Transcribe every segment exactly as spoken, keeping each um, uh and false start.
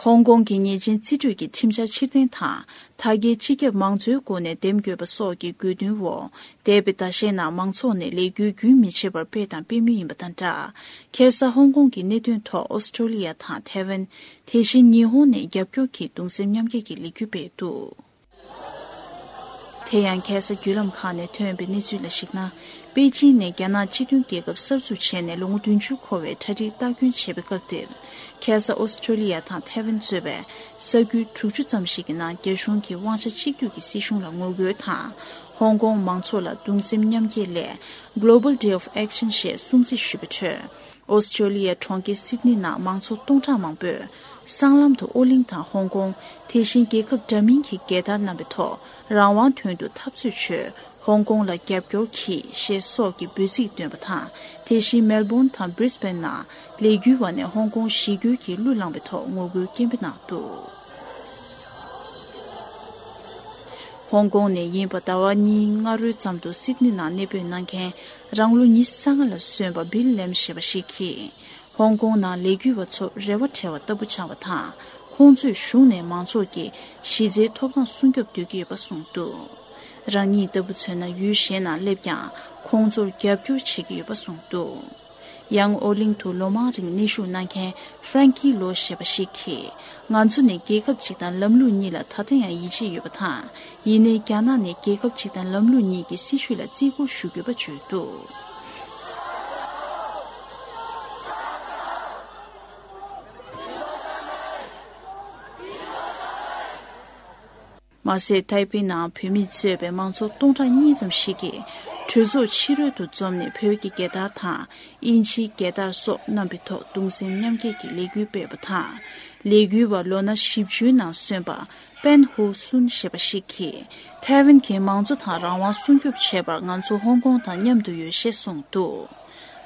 ཧོང་ཀོང་གི་ཉེས་ཅན་རྩིས་སྤྲོད་ཀྱི་ཁྲིམས་འཆར་ཕྱིར་འཐེན་དང་། ད་གའི་སྤྱི་ཁྱབ་མང་གཙོའི་སྒོ་ནས་འདེམས་དགོས་པ་སོགས་ཀྱི་དགོས་འདུན་འོག་འདས་པའི་ཟླ་ཤས་ནང་མང་ཚོགས་ནས་ལས་འགུལ་རྒྱུན་མི་ཆད་པར་སྤེལ་དང་སྤེལ་མུས་ཡིན་པ་དང་སྦྲགས། ཁ་སང་ཧོང་ཀོང་གི་གནད་དོན་ཐོག་ཨོ་སི་ཀྲོ་ལི་ཡ་དང་ཐའེ་ཝན། དེ་བཞིན་ཉི་ཧོང་ནས་རྒྱབ་སྐྱོར་གྱིས་གདུང་སེམས་མཉམ་སྐྱེད་ཀྱི་ལས་འགུལ་སྤེལ་འདུག་དེ་ཡང་ཁ་སང་བརྒྱུད་ལམ་ཁག་ནས་ཐོན་པའི་གནས་ཚུལ་ལ་གཞིགས་ན། པེ་ཅིང་ནས་རྒྱ་ནག་སྤྱི་མཐུན་རྒྱལ་ཁབ་གསར་འཛུགས་བྱས་ནས་ལོ་ངོ་བདུན་ཅུ་འཁོར་བའི་གྲ་སྒྲིག་ལྟ་སྐྱོང་བྱེད་པའི་སྐབས་དེར། ཁ་སང་ཨོ་སི་ཀྲོ་ལི་ཡ་དང་ཐའེ་ཝན་གཙོས་པའི་ས་ཁུལ་དྲུག་ཅུ་ཙམ་ཞིག་གི་ནང་རྒྱ་གཞུང་གིས་དབང་ཆ་གཅིག་སྡུད་ཀྱི་སྲིད་གཞུང་ལ་ངོ་རྒོལ་དང་། ཧོང་ཀོང་མང་ཚོགས་ལ་གདུང་སེམས་མཉམ་སྐྱེད་སླད། Global Day of Action ཞེས་སྲུང་བརྩི་ཞུས་པའི་ཁྲོད། ཨོ་སི་ཀྲོ་ལི་ཡའི་གྲོང་ཁྱེར་སིད་ནི་ནང་མང་ཚོགས་སྟོང་ཕྲག་མང་པོས། སྲང་ལམ་དུ་ཨོ་གླིང་དང་ཧོང་ཀོང་། དེ་བཞིན་རྒྱལ་ཁབ་འདྲ་མིན་གྱི་རྒྱལ་དར་བསྣམས་པའི་ཐོག་རང་དབང་དོན་དུ་འཐབ་རྩོད་བྱོས། ཧོང་ཀོང་ལ་རྒྱབ་སྐྱོར་གྱིས། ཞེས་སོགས་ཀྱི་འབོད་ཚིག་བཏོན་པ་དང་། དེ་བཞིན་མེལ་བོན་དང་བྷི་རི་སྦེན་ནང་ལས་འགུལ་བ་ནས་ཧོང་ཀོང་གཞིས་ཁུལ་གྱི་གླུ་བླངས་པའི་ཐོག་ངོ་རྒོལ་སྐད་འབོད་གནང་འདུག་ཧོང་ཀོང་ནས་ཡིན་པ། ཟླ་བ་གཉིས་སྔ་རོལ་ཙམ་དུ་སིད་ནི་ནང་གནས་སྤོས་གནང་མཁན། རང་ལོ་ཉི་ཤུ་རྩ་ལྔ་ལ་སོན་པ་བིལ་ལེམ་ཞེས་པ་ཞིག་གིས། ཧོང་ཀོང་ནང་ལས་འགུལ་བ་ཚོར་རེ་བ་བྲལ་བ་ལྟ་བུ་ཆགས་པ་དང་། ཁོང་ཚོས་གཞུང་ནས་མང་ཚོགས་ཀྱི་གཞི་རྩའི་ཐོབ་ཐང་སྲུང་སྐྱོབ་འདོད་ཀྱི་ཡོད་པ་གསུངས་འདུག་རང་ཉིད་ལྟ་བུ་མཚོན་ན་ཡུལ་གཞན་ནང་སླེབས་ཀྱང་ཁོང་ཚོར་རྒྱབ་སྐྱོར་བྱེད་ཀྱི་ཡོད་པ་གསུངས་འདུག་ཡང་ཨོ་གླིང་དུ་ལོ་མང་རིང་གནས་བཞུགས་གནང་མཁན་ཧྥ་རན་ཀི་ལོ་ཞེས་པ་ཞིག་གིས། ང་ཚོ་ནི་རྒྱལ་ཁབ་གཅིག་དང་ལམ་ལུགས་གཉིས་ལ་ད་ལྟ་ཡང་ཡིད་ཆེས་ཡོད་པ་དང་། ཡིན་ནའི་རྒྱ་ནག་ནི་རྒྱལ་ཁབ་གཅིག་དང་ལམ་ལུགས་གཉིས་ཀྱི་སྲིད་བྱུས་ལ་བརྩི་བཀུར་ཞུ་དགོས་པ་བརྗོད་འདུག་མ་ཟད། ཐའེ་པེ་ནང་བོད་མི་གཙོས་པའི་མང་ཚོགས་སྟོང་ཕྲག་གཉིས་ཙམ་ཞིག་གིས་གྲོས་ཚོགས་ཕྱི་རོལ་དུ་འཛོམས་ནས་བོད་ཀྱི་རྒྱལ་དར་དང་། དབྱིན་ཇིའི་རྒྱལ་དར་སོགས་བསྣམས་པའི་ཐོག་གདུང་སེམས་མཉམ་སྐྱེད་ཀྱི་ལས་འགུལ་སྤེལ་བ་དང་། ལས་འགུལ་བ་ལོ་ན་བཞི་བཅུའི་ནང་སོན་པ་པན་ཧུ་སུན་ཞེས་པ་ཞིག་གིས། ཐའེ་ཝན་གྱི་མང་གཙོ་དང་རང་དབང་སྲུང་སྐྱོབ་བྱེད་པར་ང་ཚོ་ཧོང་ཀོང་དང་མཉམ་དུ་ཡོད་ཞེས་གསུངས་འདུག་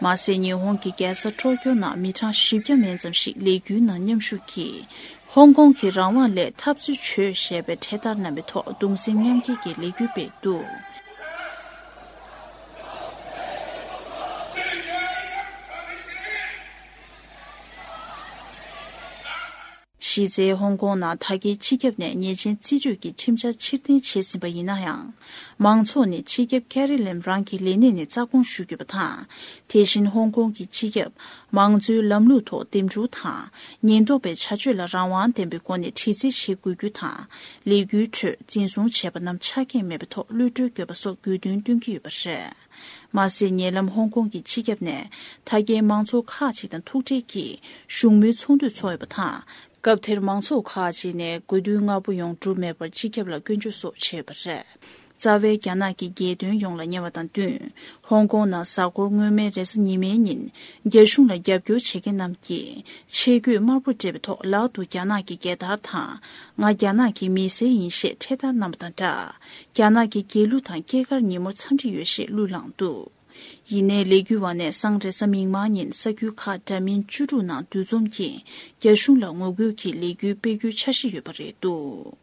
མ་ཟད། ཉི་ཧོང་གི་རྒྱལ་ས་ཊོ་ཀྱོ་ནང་མི་གྲངས་བཞི་བརྒྱ་མན་ཙམ་ཞིག་ལས་འགུལ་ནང་མཉམ་ཞུགས་ཀྱིས། ཧོང་ཀོང་གི་རང་དབང་སླད་འཐབ་རྩོད་བྱོས་ཞེས་པའི་འཕྲེད་དར་བསྣམས་པའི་ཐོག་གདུང་སེམས་མཉམ་སྐྱེད་ཀྱི་ལས་འགུལ་སྤེལ་འདུག་གཞི་རྩའི་ཧོང་ཀོང་ནང་ད་གའི་སྤྱི་ཁྱབ་ནས་ཉེས་ཅན་རྩིས་སྤྲོད་ཀྱི་ཁྲིམས་འཆར་ཕྱིར་འཐེན་བྱས་ཟིན་པ་ཡིན་ན་ཡང་། མང་ཚོགས་ནས་སྤྱི་ཁྱབ་ཀེ་རི་ལེམ་རང་གི་ལས་གནས་ནས་རྩ་དགོངས་ཞུ་དགོས་པ་དང་། དེ་བཞིན་ཧོང་ཀོང་གི་སྤྱི་ཁྱབ་མང་གཙོའི་ལམ་ལུགས་ཐོག་འདེམས་སྒྲུག་དང་། ཉེན་རྟོག་པའི་བྱ་སྤྱོད་ལ་རང་དབང་ལྡན་པའི་སྒོ་ནས་དྲི་རྩད་བྱེད་དགོས་རྒྱུ་དང་། ལས་འགུལ་ཁྲོད་འཛིན་བཟུང་བྱས་པ་རྣམས་ཆ་རྐྱེན་མེད་པའི་ཐོག་གློད་གྲོལ་དགོས་པ་སོགས་དགོས་འདུན་བཏོན་གྱི་ཡོད་པ་རེད། མ་ཟད། ཉེ་ལམ་ཧོང་ཀོང་གི་སྤྱི་ཁྱབ་ནས་ད་གའི་མང་ཚོགས་ཁག་ཅིག་དང་ཐུག་འཕྲད་ཀྱིས་བཞུགས་མོལ་ཚོགས་འདུ་འཚོགས་ཡོད་པ་དང་། སྐབས་དེར་མང་ཚོགས་ཁག་ཅིག་ནས་དགོས་འདུན་ལྔ་པོ་ཡོངས་གྲུབ་མེད་པར་སྤྱི་ཁྱབ་ལ་སྐྱོན་བརྗོད་སོགས་བྱས་ཡོད་པ་རེད། རྩ་བའི་རྒྱ་ནག་གི་རྒྱལ་དོན་ཡོངས་ལ་ཉེ་བ་དང་བསྟུན། ཧོང་ཀོང་ནང་གཟའ་འཁོར་སྔོན་མའི་རེས་གཟའ་ཉི་མའི་ཉིན། རྒྱ་གཞུང་ལ་རྒྱབ་སྐྱོར་བྱེད་མཁན་རྣམས་ཀྱིས། ཆས་གོས་དམར་པོ་སྤྲས་པའི་ཐོག་ལག་ཏུ་རྒྱ་ནག་གི་རྒྱལ་དར་དང་། ང་རྒྱ་ནག་གི་མི་སེར་ཡིན་ཞེས་འཕྲེད་དར་བསྣམས་པ་དང་སྦྲགས། རྒྱ་ནག་གི་རྒྱལ་གླུ་དང་སྐྱེས་སྐར་ཉིན་མོར་འཚམས་འདྲི་ཡོད་ཞེས་གླུ་བླངས་འདུག་ཡིན་ནའི་ལས་འགུལ་བ་ནས་སང་རེས་གཟའ་མིག་དམར་ཉིན་ས་ཁུལ་ཁག་འདྲ་མིན་བཅུ་དྲུག་ནང་འདུ་འཛོམས་ཀྱིས་རྒྱ་གཞུང་ལ་ངོ་རྒོལ་གྱི་ལས་འགུལ་སྤེལ་རྒྱུའི་འཆར་གཞི་ཡོད་པ་རེད་འདུག